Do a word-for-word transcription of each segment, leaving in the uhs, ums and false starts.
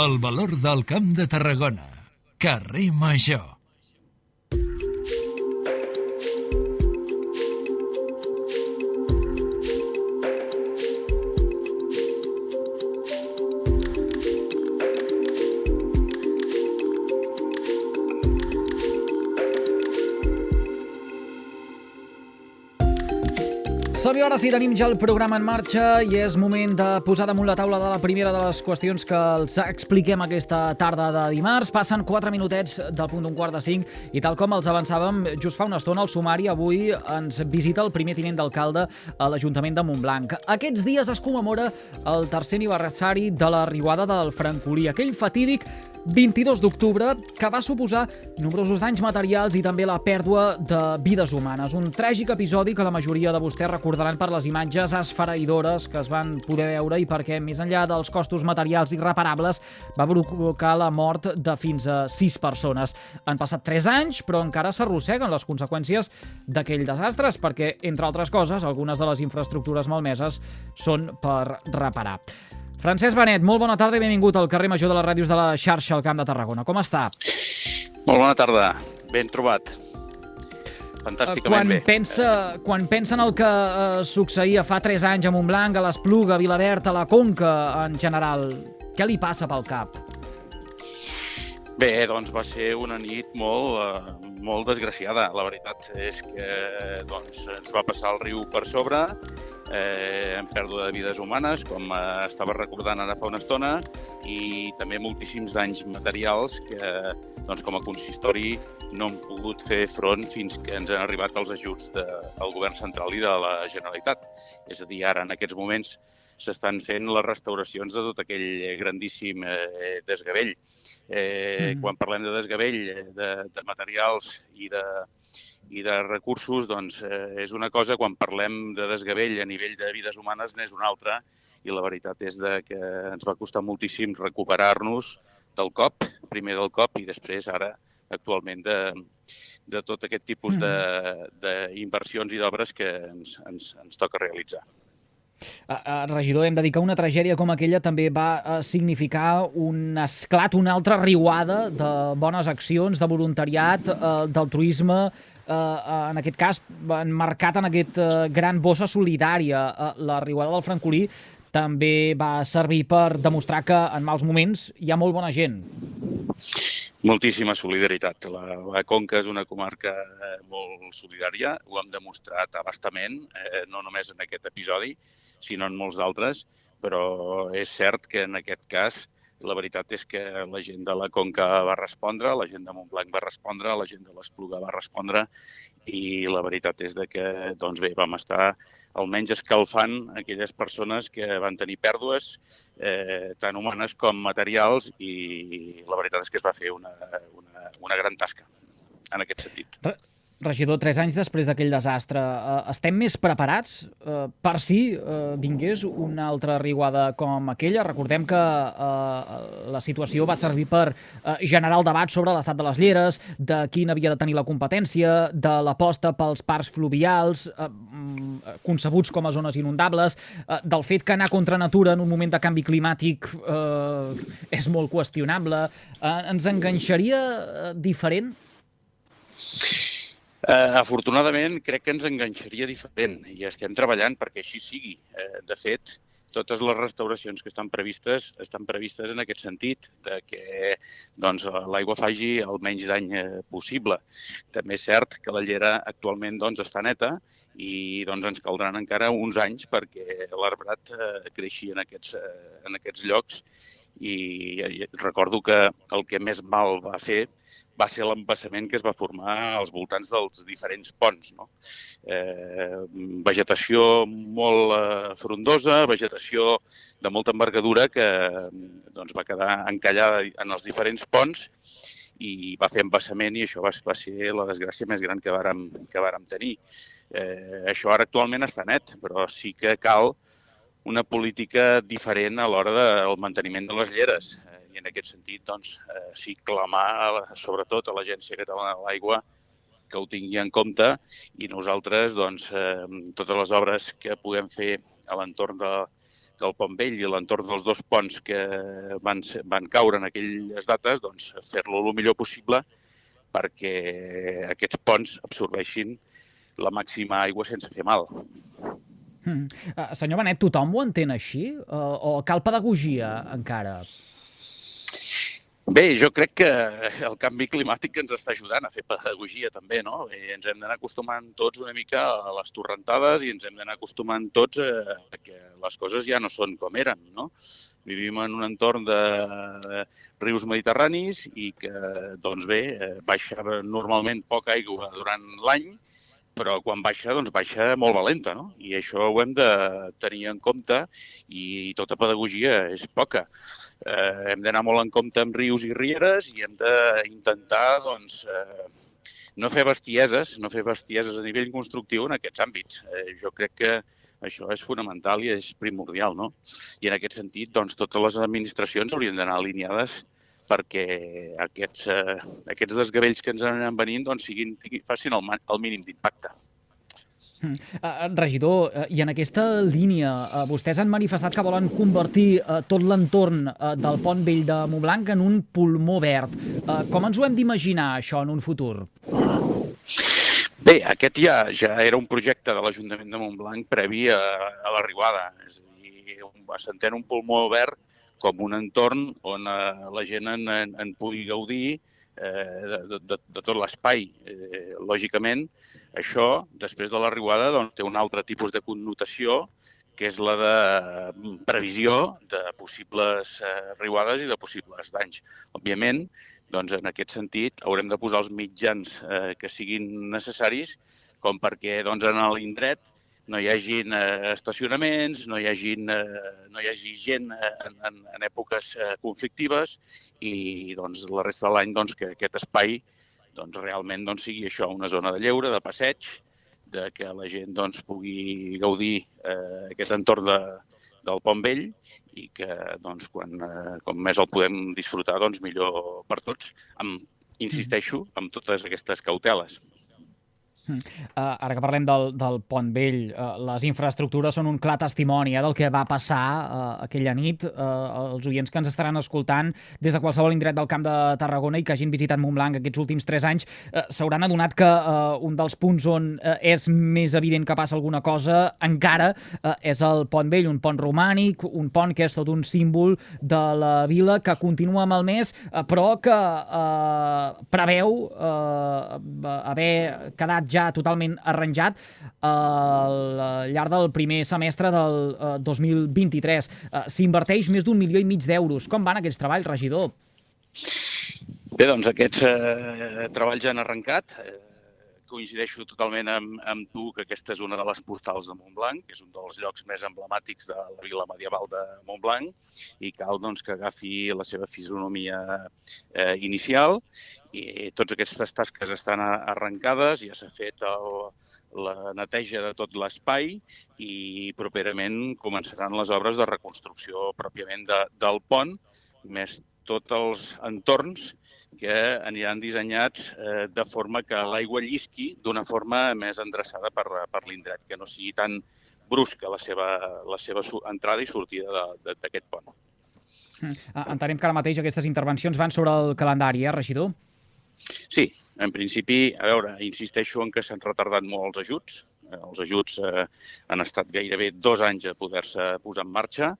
El valor del Camp de Tarragona. Carrer Major. Som-hi, ara sí, tenim ja el programa en marxa i és moment de posar damunt la taula de la primera de les qüestions que els expliquem aquesta tarda de dimarts. Passen quatre minutets del punt d'un quart de cinc i tal com els avançàvem just fa una estona al sumari, avui ens visita el primer tinent d'alcalde a l'Ajuntament de Montblanc. Aquests dies es commemora el tercer aniversari de la riuada del Francolí, aquell fatídic vint-i-dos d'octubre que va suposar nombrosos danys materials i també la pèrdua de vides humanes. Un tràgic episodi que la majoria de vostès recordaran per les imatges esfereïdores que es van poder veure i perquè, més enllà dels costos materials irreparables, va provocar la mort de fins a sis persones. Han passat tres anys, però encara s'arrosseguen les conseqüències d'aquell desastre, perquè, entre altres coses, algunes de les infraestructures malmeses són per reparar. Francesc Benet, molt bona tarda i benvingut al carrer Major de les ràdios de la xarxa al Camp de Tarragona. Com està? Molt bona tarda, ben trobat. Fantàsticament quan bé. Pensa, quan pensa en el que eh, succeïa fa tres anys a Montblanc, a l'Espluga, a Vilaverd, a la Conca en general, què li passa pel cap? Bé, doncs va ser una nit molt, eh, molt desgraciada. La veritat és que doncs, ens va passar el riu per sobre, eh, en pèrdua de vides humanes, com eh, estava recordant ara fa una estona, i també moltíssims danys materials que, doncs, com a consistori, no hem pogut fer front fins que ens han arribat els ajuts del Govern central i de la Generalitat. És a dir, ara, en aquests moments, s'estan fent les restauracions de tot aquell grandíssim eh, desgavell. Eh, mm. Quan parlem de desgavell, de, de materials i de, i de recursos, doncs eh, és una cosa, quan parlem de desgavell a nivell de vides humanes n'és una altra, i la veritat és de que ens va costar moltíssim recuperar-nos del cop, primer del cop i després ara actualment de, de tot aquest tipus d'inversions i d'obres que ens, ens, ens toca realitzar. Uh, regidor, hem de dir que una tragèdia com aquella també va uh, significar un esclat, una altra riuada de bones accions, de voluntariat, uh, d'altruisme, uh, uh, en aquest cas marcat en aquest uh, gran bossa solidària. Uh, la riuada del Francolí també va servir per demostrar que en mals moments hi ha molt bona gent. Moltíssima solidaritat. La, la Conca és una comarca eh, molt solidària, ho hem demostrat a bastament, eh, no només en aquest episodi, sinó en molts d'altres, però és cert que en aquest cas la veritat és que la gent de la Conca va respondre, la gent de Montblanc va respondre, la gent de l'Espluga va respondre i la veritat és de que doncs bé, vam estar almenys escalfant aquelles persones que van tenir pèrdues eh, tant humanes com materials i la veritat és que es va fer una, una, una gran tasca en aquest sentit. Regidor, tres anys després d'aquell desastre, eh, estem més preparats eh, per si eh, vingués una altra riuada com aquella? Recordem que eh, la situació va servir per eh, generar el debat sobre l'estat de les lleres, de qui n'havia de tenir la competència, de l'aposta pels parcs fluvials, eh, concebuts com a zones inundables, eh, del fet que anar contra natura en un moment de canvi climàtic eh, és molt qüestionable. Eh, ens enganxaria eh, diferent? Uh, afortunadament, crec que ens enganxaria diferent i estem treballant perquè així sigui. Uh, de fet, totes les restauracions que estan previstes estan previstes en aquest sentit, de que doncs, l'aigua faci el menys dany possible. També és cert que la llera actualment doncs, està neta i doncs, ens caldran encara uns anys perquè l'arbrat uh, creixi en aquests, uh, en aquests llocs i, i recordo que el que més mal va fer va ser l'embassament que es va formar als voltants dels diferents ponts. No? Eh, vegetació molt eh, frondosa, vegetació de molta envergadura que doncs, va quedar encallada en els diferents ponts i va fer embassament i això va, va ser la desgràcia més gran que vàrem, que vàrem tenir. Eh, això ara actualment està net, però sí que cal una política diferent a l'hora del manteniment de les lleres. I en aquest sentit, doncs, eh, sí clamar, sobretot a l'Agència Catalana de l'Aigua, que ho tingui en compte i nosaltres, doncs, eh, totes les obres que puguem fer a l'entorn de, que el Pont Vell i l'entorn dels dos ponts que van, van caure en aquelles dates, doncs fer-lo el millor possible perquè aquests ponts absorbeixin la màxima aigua sense fer mal. Mm. Uh, senyor Benet, tothom ho entén així? Uh, o cal pedagogia encara? Bé, jo crec que el canvi climàtic ens està ajudant a fer pedagogia també, no? I ens hem d'anar acostumant tots una mica a les torrentades i ens hem d'anar acostumant tots a que les coses ja no són com eren, no? Vivim en un entorn de rius mediterranis i que, doncs bé, baixa normalment poca aigua durant l'any, però quan baixa, doncs baixa molt valenta, no? I això ho hem de tenir en compte i tota pedagogia és poca. Eh, hem d'anar molt en compte amb rius i rieres i hem d'intentar, doncs, eh, no fer bestieses, no fer bestieses a nivell constructiu en aquests àmbits. Eh, jo crec que això és fonamental i és primordial, no? I en aquest sentit, doncs, totes les administracions haurien d'anar alineades perquè aquests, eh, aquests desgavells que ens anen venint doncs, siguin, facin el, el mínim d'impacte. Uh, regidor, uh, i en aquesta línia, uh, vostès han manifestat que volen convertir uh, tot l'entorn uh, del Pont Vell de Montblanc en un pulmó verd. Uh, com ens ho hem d'imaginar, això, en un futur? Bé, aquest ja, ja era un projecte de l'Ajuntament de Montblanc previ a, a la riuada. És a dir, s'entén un pulmó verd com un entorn on eh, la gent en, en, en pugui gaudir eh, de, de, de tot l'espai. Eh, lògicament, això, després de la riuada, doncs, té un altre tipus de connotació, que és la de previsió de possibles eh, riuades i de possibles danys. Òbviament, doncs, en aquest sentit, haurem de posar els mitjans eh, que siguin necessaris com perquè doncs, en l'indret no hi hagi eh, estacionaments, no hi hagi, eh, no hi hagi gent eh, en, en, en èpoques eh, conflictives i doncs, la resta de l'any doncs, que aquest espai doncs, realment doncs, sigui això, una zona de lleure, de passeig, de que la gent doncs, pugui gaudir eh, aquest entorn de, del Pont Vell i que doncs, quan, eh, com més el podem disfrutar, doncs, millor per tots. Amb, insisteixo, amb totes aquestes cauteles. Uh, ara que parlem del, del Pont Vell, uh, les infraestructures són un clar testimoni eh, del que va passar uh, aquella nit. Uh, els oients que ens estaran escoltant des de qualsevol indret del Camp de Tarragona i que hagin visitat Montblanc aquests últims tres anys uh, s'hauran adonat que uh, un dels punts on uh, és més evident que passa alguna cosa encara uh, és el Pont Vell, un pont romànic, un pont que és tot un símbol de la vila que continua malmès, uh, però que uh, preveu uh, haver quedat ja totalment arranjat al llarg del primer semestre del uh, dos mil vint-i-tres. Uh, S'inverteix més d'un milió i mig d'euros. Com van aquests treballs, regidor? Bé, doncs aquests eh, treballs ja han arrencat. Eh, coincideixo totalment amb, amb tu que aquesta és una de les postals de Montblanc, que és un dels llocs més emblemàtics de la vila medieval de Montblanc i cal doncs, que agafi la seva fisonomia eh, inicial i totes aquestes tasques estan arrencades, ja s'ha fet el, la neteja de tot l'espai i properament començaran les obres de reconstrucció pròpiament de, del pont, més tots els entorns que aniran dissenyats eh, de forma que l'aigua llisqui d'una forma més endreçada per, per l'indret, que no sigui tan brusca la seva, la seva entrada i sortida d'aquest pont. Entenem que ara mateix aquestes intervencions van sobre el calendari, eh, regidor? Sí, en principi, a veure, insisteixo en que s'han retardat molt els ajuts. Els ajuts eh, han estat gairebé dos anys a poder-se posar en marxa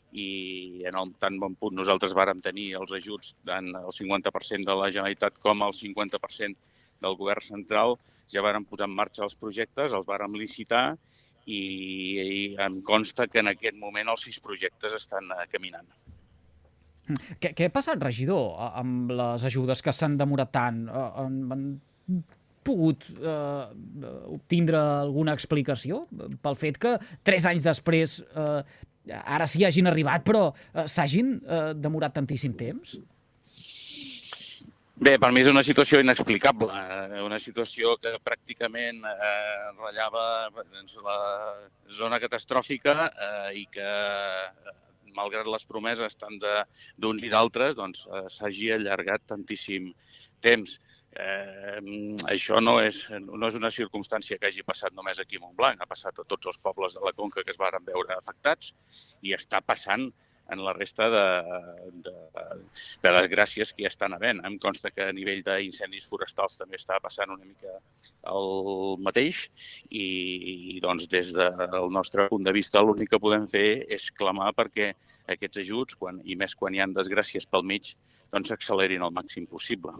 i en el tan bon punt nosaltres vàrem tenir els ajuts tant el cinquanta per cent de la Generalitat com el cinquanta per cent del govern central. Ja vàrem posar en marxa els projectes, els vàrem licitar i, i em consta que en aquest moment els sis projectes estan eh, caminant. Què, què ha passat, regidor, amb les ajudes que s'han demorat tant? Han, han pogut eh, obtindre alguna explicació pel fet que tres anys després eh, ara sí hagin arribat, però eh, s'hagin eh, demorat tantíssim temps? Bé, per mi és una situació inexplicable, una situació que pràcticament eh, ratllava doncs, la zona catastròfica eh, i que malgrat les promeses tant d'uns i d'altres, doncs s'hagi allargat tantíssim temps. Eh, això no és, no és una circumstància que hagi passat només aquí a Montblanc, ha passat a tots els pobles de la Conca que es varen veure afectats i està passant en la resta de, de, de desgràcies que ja estan havent. Em consta que a nivell d'incendis forestals també està passant una mica el mateix i doncs, des del nostre punt de vista l'únic que podem fer és clamar perquè aquests ajuts, quan, i més quan hi ha desgràcies pel mig, doncs s'accelerin al màxim possible.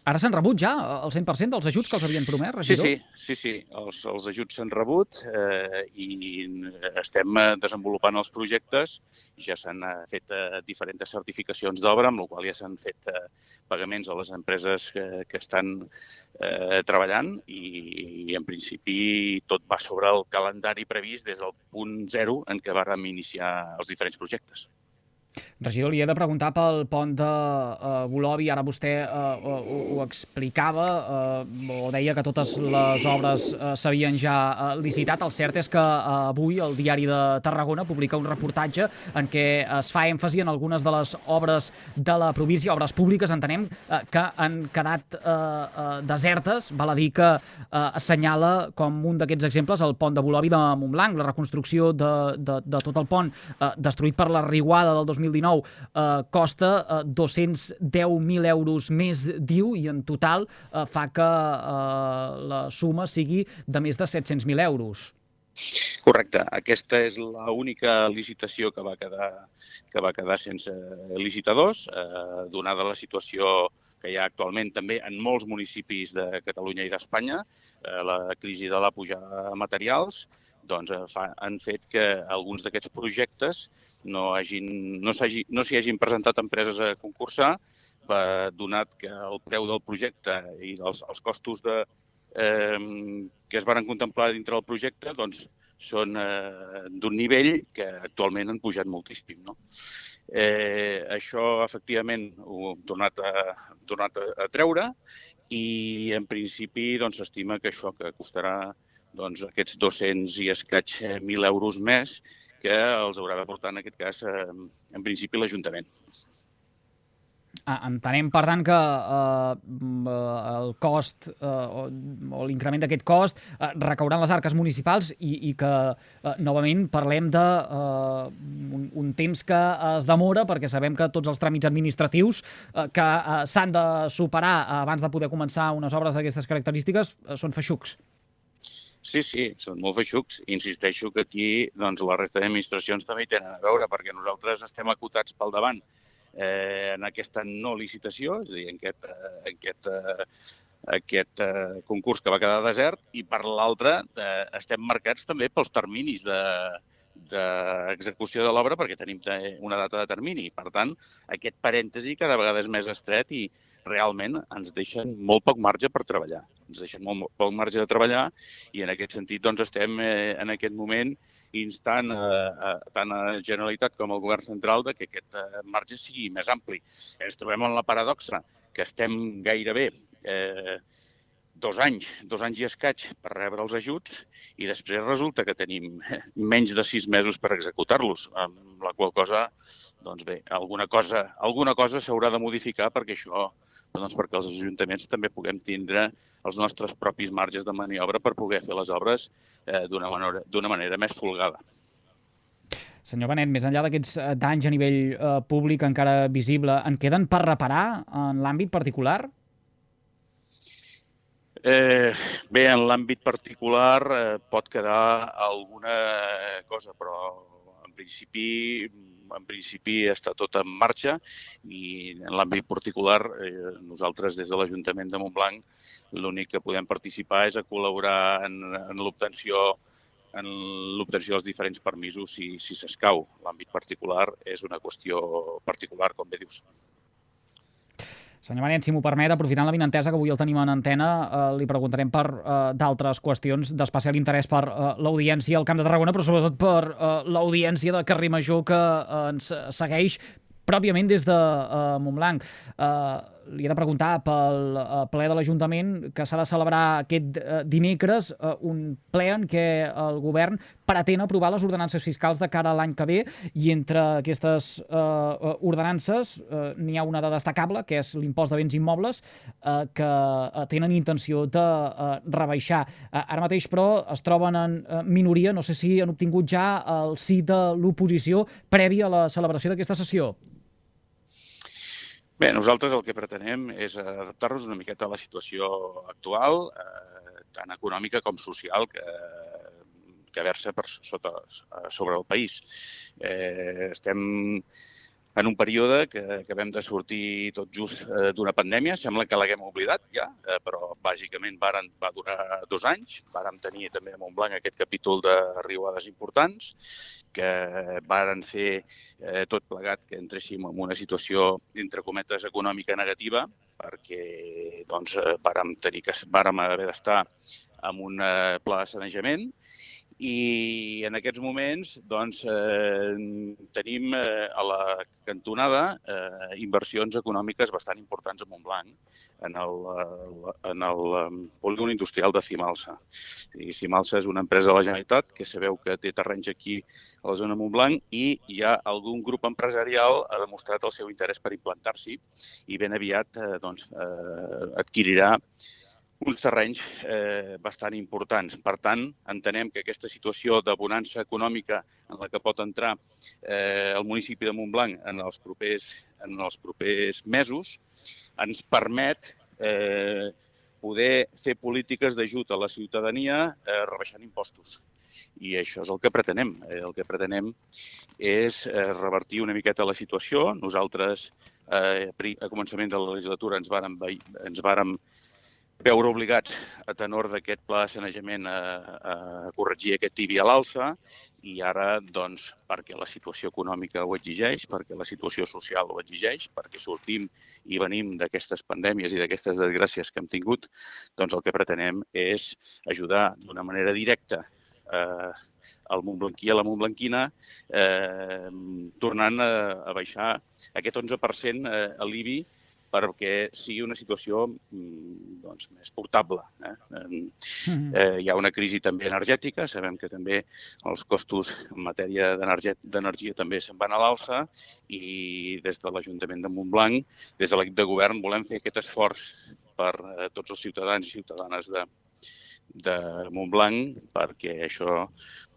Ara s'han rebut ja el cent per cent dels ajuts que els havien promès, regidor? Sí, sí, sí, sí. Els, els ajuts s'han rebut eh, i estem desenvolupant els projectes. Ja s'han fet eh, diferents certificacions d'obra, amb la qual ja s'han fet eh, pagaments a les empreses que, que estan eh, treballant i, i, en principi, tot va sobre el calendari previst des del punt zero en què vàrem iniciar els diferents projectes. Regidor, li he de preguntar pel pont de uh, Bolovi. Ara vostè uh, ho, ho explicava uh, o deia que totes les obres uh, s'havien ja uh, licitat. El cert és que uh, avui el Diari de Tarragona publica un reportatge en què es fa èmfasi en algunes de les obres de la província, obres públiques, entenem, uh, que han quedat uh, uh, desertes. Val a dir que uh, assenyala com un d'aquests exemples el pont de Bolovi de Montblanc, la reconstrucció de, de, de tot el pont uh, destruït per la riuada del dos mil dinou. Eh, costa eh, dos-cents deu mil euros més, diu, i en total eh, fa que eh, la suma sigui de més de set-cents mil euros. Correcte. Aquesta és l'única licitació que va quedar, que va quedar sense licitadors, eh, donada la situació que hi ha actualment també en molts municipis de Catalunya i d'Espanya, eh, la crisi de la pujada de materials, doncs eh, fa, han fet que alguns d'aquests projectes no s'hi no no hagin presentat empreses a concursar, eh, donat que el preu del projecte i els, els costos de, eh, que es van contemplar dintre del projecte doncs, són eh, d'un nivell que actualment han pujat moltíssim. No? Eh, això, efectivament, ho hem tornat a, tornat a, a treure i, en principi, doncs, s'estima que això que costarà doncs, aquests dos-cents i escaig mil euros més que els haurà de portar, en aquest cas, eh, en principi, l'Ajuntament. Ah, entenem, per tant, que eh, el cost eh, o, o l'increment d'aquest cost eh, recaurà en les arques municipals i, i que, eh, novament, parlem de eh, un, un temps que es demora, perquè sabem que tots els tràmits administratius eh, que eh, s'han de superar abans de poder començar unes obres d'aquestes característiques eh, són feixucs. Sí, sí, són molt feixucs. Insisteixo que aquí doncs, la resta d'administracions també hi tenen a veure, perquè nosaltres estem acotats pel davant eh, en aquesta no licitació, és a dir, en aquest, eh, aquest, eh, aquest eh, concurs que va quedar desert, i per l'altre eh, estem marcats també pels terminis de d'execució de l'obra perquè tenim una data de termini. Per tant, aquest parèntesi cada vegada és més estret i realment ens deixen molt poc marge per treballar. Ens deixen molt poc marge de treballar i en aquest sentit doncs, estem eh, en aquest moment instant eh, a, tant a la Generalitat com al Govern Central de que aquest eh, marge sigui més ampli. Ens trobem en la paradoxa que estem gairebé eh, dos anys, dos anys i escaig per rebre els ajuts i després resulta que tenim menys de sis mesos per executar-los, amb la qual cosa, doncs bé, alguna cosa, alguna cosa s'haurà de modificar perquè això, doncs perquè els ajuntaments també puguem tindre els nostres propis marges de maniobra per poder fer les obres eh, d'una manera, d'una manera més folgada. Senyor Benet, més enllà d'aquests danys a nivell eh, públic encara visible, en queden per reparar en l'àmbit particular? Eh, bé, en l'àmbit particular eh, pot quedar alguna cosa, però en principi, en principi està tot en marxa i en l'àmbit particular eh, nosaltres des de l'Ajuntament de Montblanc l'únic que podem participar és a col·laborar en, en l'obtenció en l'obtenció dels diferents permisos si, si s'escau. L'àmbit particular és una qüestió particular, com bé dius. Senyor Benet, si m'ho permet, aprofitant l'avinentesa que avui el tenim en antena, eh, li preguntarem per eh, d'altres qüestions d'especial interès per eh, l'audiència al Camp de Tarragona, però sobretot per eh, l'audiència de Carrer Major que eh, ens segueix pròpiament des de eh, Montblanc. Eh, li he de preguntar pel ple de l'Ajuntament que s'ha de celebrar aquest dimecres, un ple en què el govern pretén aprovar les ordenances fiscals de cara a l'any que ve, i entre aquestes eh, ordenances eh, n'hi ha una de destacable, que és l'impost de béns immobles, eh, que tenen intenció de eh, rebaixar. Eh, ara mateix, però, es troben en eh, minoria. No sé si han obtingut ja el sí de l'oposició previ a la celebració d'aquesta sessió. Bé, nosaltres el que pretenem és adaptar-nos una miqueta a la situació actual, eh, tant econòmica com social, que, que versa per sota, sobre el país. Eh, estem en un període que acabem de sortir tot just eh, d'una pandèmia. Sembla que l'haguem oblidat ja, eh, però bàsicament varen, va durar dos anys. Vàrem tenir també a Montblanc aquest capítol de riuades importants, que varen fer eh, tot plegat que entréssim en una situació, entre cometes, econòmica negativa, perquè doncs, eh, vàrem, tenir que, vàrem haver d'estar amb un eh, pla de sanejament, i en aquests moments doncs, eh, tenim eh, a la cantonada eh, inversions econòmiques bastant importants a Montblanc en el, en el polígon industrial de Cimalsa. I Cimalsa és una empresa de la Generalitat que sabeu que té terrenys aquí a la zona de Montblanc, i hi ha algun grup empresarial que ha demostrat el seu interès per implantar-s'hi, i ben aviat eh, doncs, eh, adquirirà uns terrenys eh, bastant importants. Per tant, entenem que aquesta situació de bonança econòmica en la que pot entrar eh, el municipi de Montblanc en els propers, en els propers mesos ens permet eh, poder fer polítiques d'ajut a la ciutadania eh, rebaixant impostos. I això és el que pretenem. Eh, el que pretenem és eh, revertir una miqueta la situació. Nosaltres, eh, a començament de la legislatura, ens vàrem, ens vàrem veure obligats, a tenor d'aquest pla de sanejament, a, a corregir aquest tibi a l'alça, i ara, doncs, perquè la situació econòmica ho exigeix, perquè la situació social ho exigeix, perquè sortim i venim d'aquestes pandèmies i d'aquestes desgràcies que hem tingut, doncs el que pretenem és ajudar d'una manera directa eh, al montblanquí, a la montblanquina, eh, tornant a, a baixar aquest onze per cent eh, a l'I B I, perquè sigui una situació doncs, més portable. Eh? Eh, hi ha una crisi també energètica, sabem que també els costos en matèria d'energia també se'n van a l'alça, i des de l'Ajuntament de Montblanc, des de l'equip de govern, volem fer aquest esforç per a tots els ciutadans i ciutadanes de, de Montblanc perquè això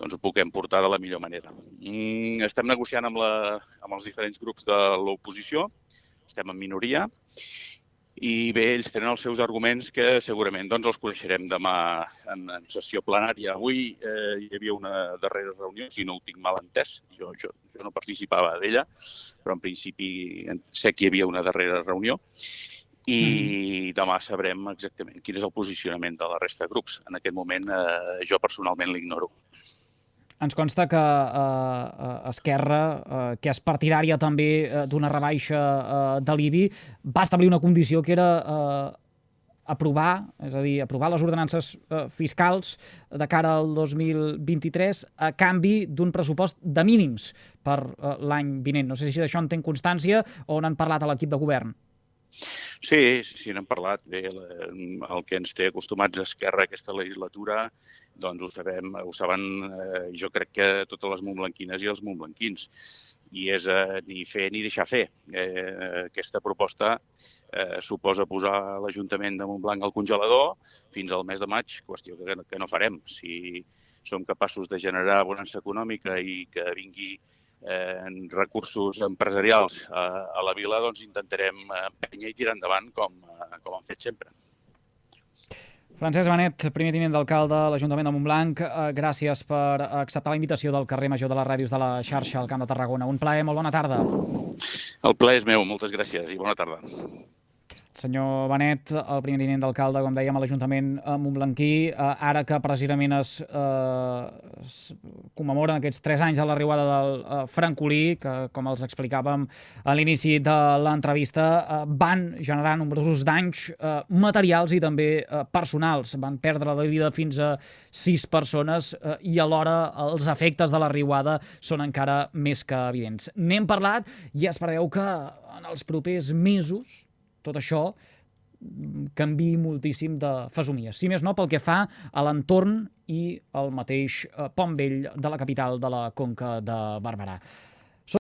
doncs, ho puguem portar de la millor manera. Mm, estem negociant amb, la, amb els diferents grups de l'oposició, estem en minoria, i bé, ells tenen els seus arguments que segurament doncs, els coneixerem demà en, en sessió plenària. Avui eh, hi havia una darrera reunió, si no ho tinc mal entès, jo, jo, jo no participava d'ella, però en principi sé que hi havia una darrera reunió, i mm. demà sabrem exactament quin és el posicionament de la resta de grups. En aquest moment eh, jo personalment l'ignoro. Ens consta que eh, Esquerra, eh, que és partidària també eh, d'una rebaixa eh, de l'I B I, va establir una condició que era eh, aprovar, és a dir, aprovar les ordenances eh, fiscals de cara al dos mil vint-i-tres a canvi d'un pressupost de mínims per eh, l'any vinent. No sé si d'això en ten constància o n'han parlat a l'equip de govern. Sí, sí, n'hem parlat. Bé, el que ens té acostumats a Esquerra aquesta legislatura, doncs ho sabem, ho saben, eh, jo crec que totes les montblanquines i els montblanquins. I és eh, ni fer ni deixar fer. Eh, aquesta proposta eh, suposa posar l'Ajuntament de Montblanc al congelador fins al mes de maig, qüestió que, que no farem. Si som capaços de generar bonança econòmica i que vingui Eh, en recursos empresarials a, a la vila, doncs intentarem empènyer i tirar endavant com, com hem fet sempre. Francesc Benet, primer tinent d'alcalde de l'Ajuntament de Montblanc, eh, gràcies per acceptar la invitació del carrer Major de les Ràdios de la xarxa al Camp de Tarragona. Un plaer, molt bona tarda. El plaer és meu, moltes gràcies i bona tarda. Senyor Benet, el primer tinent d'alcalde, com dèiem, a l'Ajuntament montblanquí, eh, ara que precisament es, eh, es commemoren aquests tres anys de la riuada del eh, Francolí, que, com els explicàvem a l'inici de l'entrevista, eh, van generar nombrosos danys eh, materials i també eh, personals. Van perdre la vida fins a sis persones eh, i alhora els efectes de la riuada són encara més que evidents. N'hem parlat i es preveu que en els propers mesos tot això canviï moltíssim de fesomia. Si més no, pel que fa a l'entorn i el mateix Pont Vell de la capital de la Conca de Barberà.